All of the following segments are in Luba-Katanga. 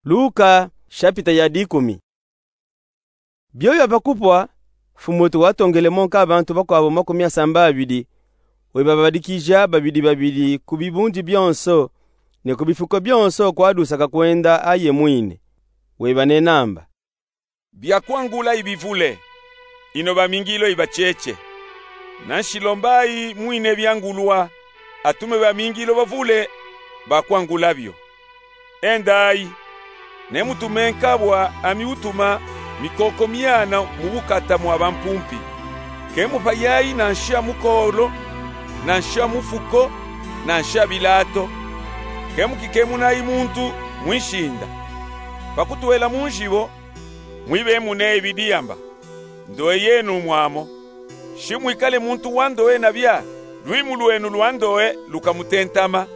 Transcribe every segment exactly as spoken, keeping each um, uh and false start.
Luka, shapita ya dikumi. Bioyo pa kupwa, Mfumu wetu watongele mo nka bantu bakwawu makumi asambabidi, webabadikija babidi babidi ku bibundi bionso, ne ku bifuko bionso kwadusa kakwenda aye mwine. Webanenamba: Biakwangula ibivule, ino bamingilo ibacheche. Nanshi lombayi mwine biangulwa, atume bamingilo bavule bakwangula bio. Endayi, nemutume nkabwa ami utuma mikoko miana mu bukata mwa bampumpi. Kemupayayi nansha mukolo, nansha mufuko, nansha bilato. Kemukikemunayi muntu mwishinda. Pakutwela munjibo, mwibemuneyi bidiyamba: Ndowe yenu mwamo. Shimwikale muntu wa ndowe nabia, lwimu lwenu lwa ndowe lukamutentama.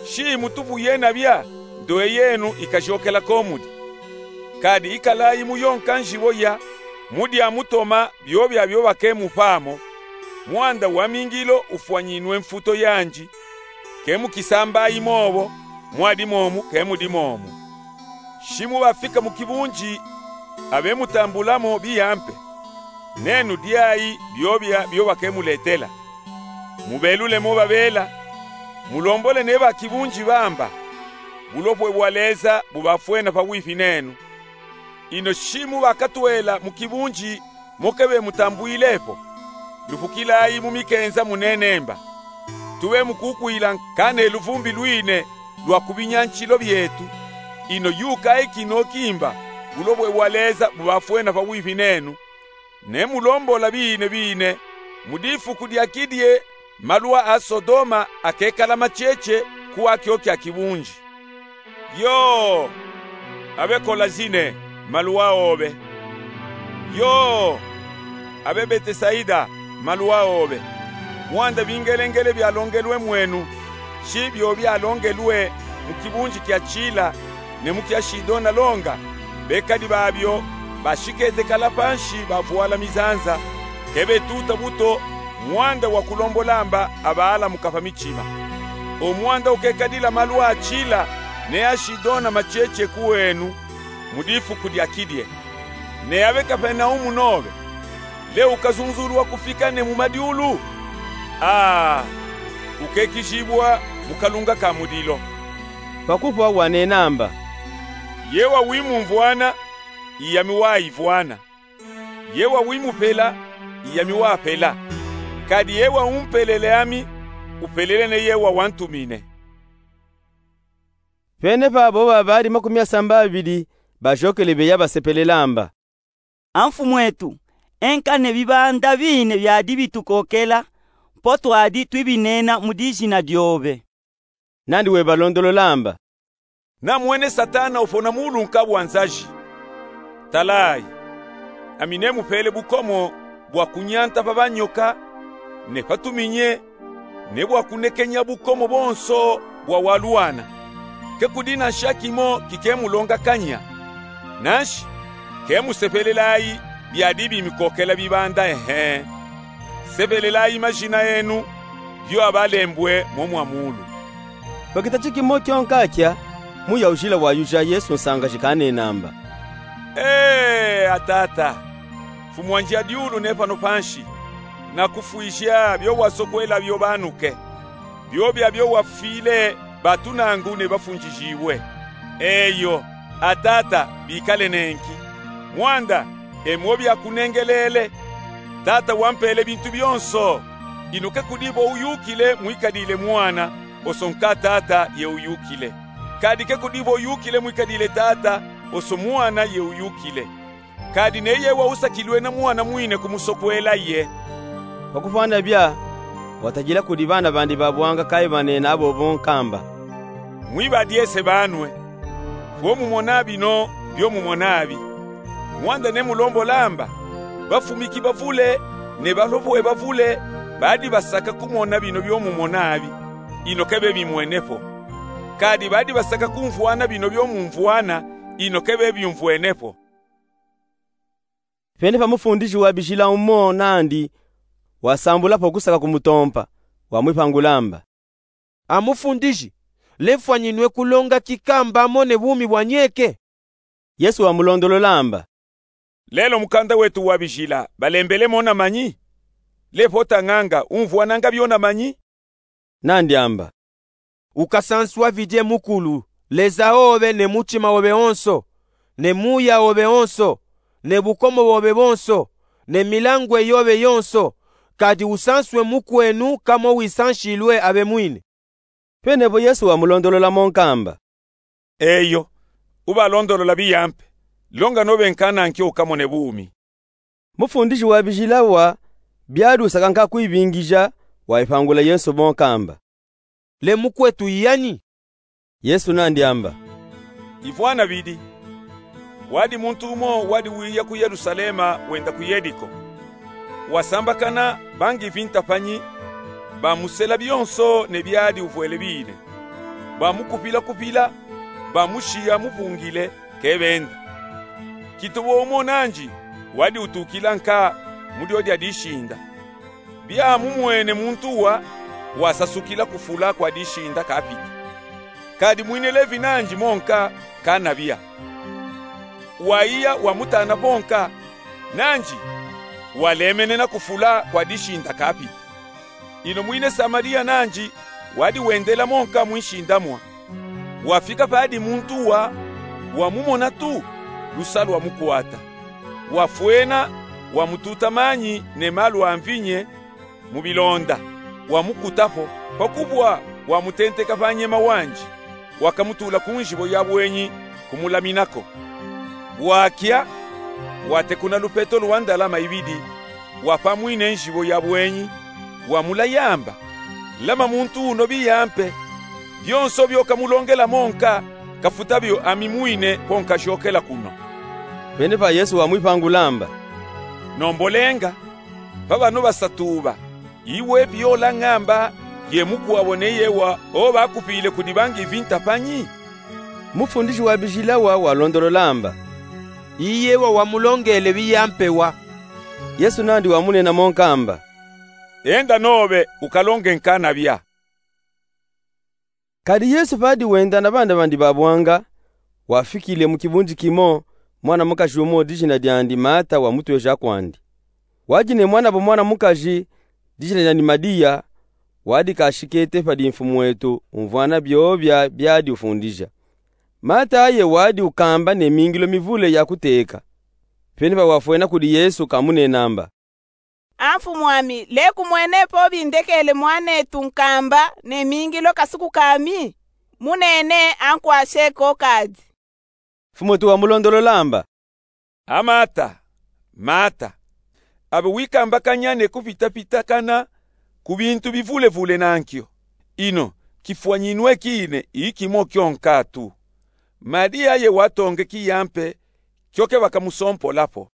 Shimutupu yena bia, ndowe yenu ikajokela komudi. Kadi ikalayi muyonka njibo ya, mudia mutoma biobia biobakemupamo. Mwanda wamingilo ufwanyinwe mfuto yanji. Kemukisambayi mobo, mwadi momu kemudi momu. Shimubafika mu kibunji, abemutambulamo biyampe. Nenu diayi biobia biobakemuletela. Mubelule mo babela, mulombole ne bakibunji bamba, bulopwe bwa Leza bubafwena pawipi nenu. Ino shimubakatwela mu kibunji mo kebemutambwilepo, lupukilayi mu mikenza munenemba: Tubemukukwila nka ne luvumbi lwine lwa ku binyanshilo byetu. Ino yukayi kino kimba, bulopwe bwa Leza bubafwena pawipi nenu. Nemulombola bine bine, mu difuku dia kidie, malwa a Sodoma akekala macheche kuwakyo kya kibunji. Yoo, abe Kolazine, malwa obe! Yoo, abe Betesaida, malwa obe! Mwanda bingelengele byalongelwe mwenu, shi byo byalongelwe mu kibunji kya Chila ne mu kya Shidona longa, bekadi babyo bashikete kala panshi bavwala mizanza, kebetuta buto mwanda wa kulombolamba abaalamuka pa michima. O mwanda ukekadila malwa a Chila ne a Shidona macheche kuwenu mu difuku dya kidye. Ne abe Kapenaumu nobe, le ukazunzulwa kufika ne mu madyulu? Aa, ukekijibwa mu kalunga ka mulilo. Pakupwa wanenamba: Ye wawimumvwana, iyami waivwana. Ye wawimupela, iyami wapela. Kadi ye waumpelele ami, upelele ne ye wawantumine. Penepa bobo babali makumi asambabili bajokele beya basepelelamba: A Mfumwetu, enka ne bibanda bine byadi bitukokela, po twadi twibinena mu dijina dyobe. Nandi webalondololamba: Namwene Satana upona mu ulunka bwa nzaji. Talayi, ami nemupele bukomo bwa kunyanta pa banyoka ne pa tuminye, ne bwa kunekenya bukomo bonso bwa walwana. Kekudi na nshaki mo kikemulongakanya. Nanshi, kemusepelelayi byadi bimikokela bibanda, ehe. Sepelelayi majina enu, byo abalembwe mo mwa mulu. Pakita chikimo kyonka kya, Muya ujila wayuja Yesu nsangaji kanenamba: Ee, a Tata, Mfumu wanji a dyulu ne pano panshi, nakufwija byo wasokwela byo banuke. Byobya byo wafwile batunangu ne bafunjijiwe. Eyo, a Tata, bikale nenki. Mwanda, e mo byakunengelele. Tata wampele bintu byonso. Ino kekudi bo uyukile mwikadile Mwana, oso nka Tata ye uyukile. Kadi kekudi bo uyukile mwikadile Tata, oso Mwana ye uyukile. Kadi ne ye wausakilwe na Mwana mwine kumusokwela ye. Pakufwana bya, watajila kudi bana bandi babwanga kayi banena abo bonkamba: Mwibadyese banwe, byo mumona bino byo mumona abi. Mwanda nemulombolamba, bafumiki bavule ne balopwe bavule badi basaka kumona bino byo mumona abi, ino kebebimwenepo. Kadi badi basaka kumvwana bino byo mumvwana, ino kebebyumvwenepo. Penepa mufundiji wa bijila umo nandi wasambulapo kusaka kumutompa, wamwipangulamba: A Mufundiji, Lemfwanyinwe kulonga kikamba amone bumi bwa nyeke? Yesu wamulondolola amba: Lelo mukanda wetu wa bijila balembele mona manyi? Lepota nganga umvwananga byona manyi? Nandi amba: Ukasanswa vidye mukulu Leza obe ne mutima obe onso, ne muya obe onso, ne bukomo bobe bonso, ne milangwe yobe yonso, kadi usanswe mukwenu kamo wisanshilwe abe mwine. Pene po Yesu wamulondolola monka amba: Eyo, ubalondolola biyampe, longa nobe nkana nkyo ukamone bumi. Mufundishi wa bijila wa byadi usaka nka kwibingija, waipangula Yesu monka amba: Le mukwetu i yani? Yesu nandi amba: Ivwana bidi. Wadi muntu umo wadi wiya ku Yelusalema wenda ku Yeriko. Wasambakana bangi vintapanyi, bamusela byonso ne byadi uvwele bine. Bamukupila-kupila, bamushiya mupungile, kebenda. Kituba umo nanji wadi utukila nka mu dyodya dishinda. Byamumwene muntu wa, wasasukila kufula kwa dishinda kapita. Kadi mwine Levi nanji monka kanabya. Waiya wamutana ponka, nanji walemenena kufula kwa dishinda kapita. Ino mwine Samaliya nanji wadi wendela monka mwinshindamwa. Wafika padi muntu wa, wamumona tu, lusa lwamukwata. Wafwena, wamututa manyi ne malu a mvinye mu bilonda, wamukutapo, pakubwa wamutenteka panyema wanji, wakamutula ku njibo ya bwenyi kumulaminako. Bwakya, watekuna lupeto lwa ndalama ibidi, wapa mwine njibo ya bwenyi, wamulaya amba: Lama muntu uno biyampe, byonso byo kamulongela monka, kafuta byo ami mwine po nkashokela kuno. Pene pa Yesu wamwipangula amba: Nombolenga, pa bano basatu ba, iwe pi ola ngamba ye mukwabo ne yewa obakupile kudi bangi vintapanyi? Mufundishi wa bijila wa walondolola amba: I yewa wamulongele biyampe wa. Yesu nandi wamunena monka amba: Enda nobe ukalonge nkanabya. Kadi Yesu padi wenda na bana bandi babwanga, wafikile mu kibunji kimo mwana mukaji umo dijina dyandi Mata wamutwesha kwandi. Wadi ne mwanabo mwana mukaji dijina dyandi Madiya, wadi kashikete padi mfumwetu umvwana byobya byadi ufundija. Mata aye wadi ukamba ne mingilo mivule ya kuteka. Pene pa wafwena kudi Yesu kamunena amba: A mfumwami, leku mwene po bindekele mwanetu nkamba ne mingilo kasuku kami? Munene ankwashe ko kadi. Mfumwetu wamulondolola amba: A Mata, Mata, abe wikambakanya ne kupitapitakana ku bintu bivulevule nankyo. Ino kifwanyinwe kine i kimo kyonka tu. Madiya ye watonge kiyampe kyo ke bakamusompolapo.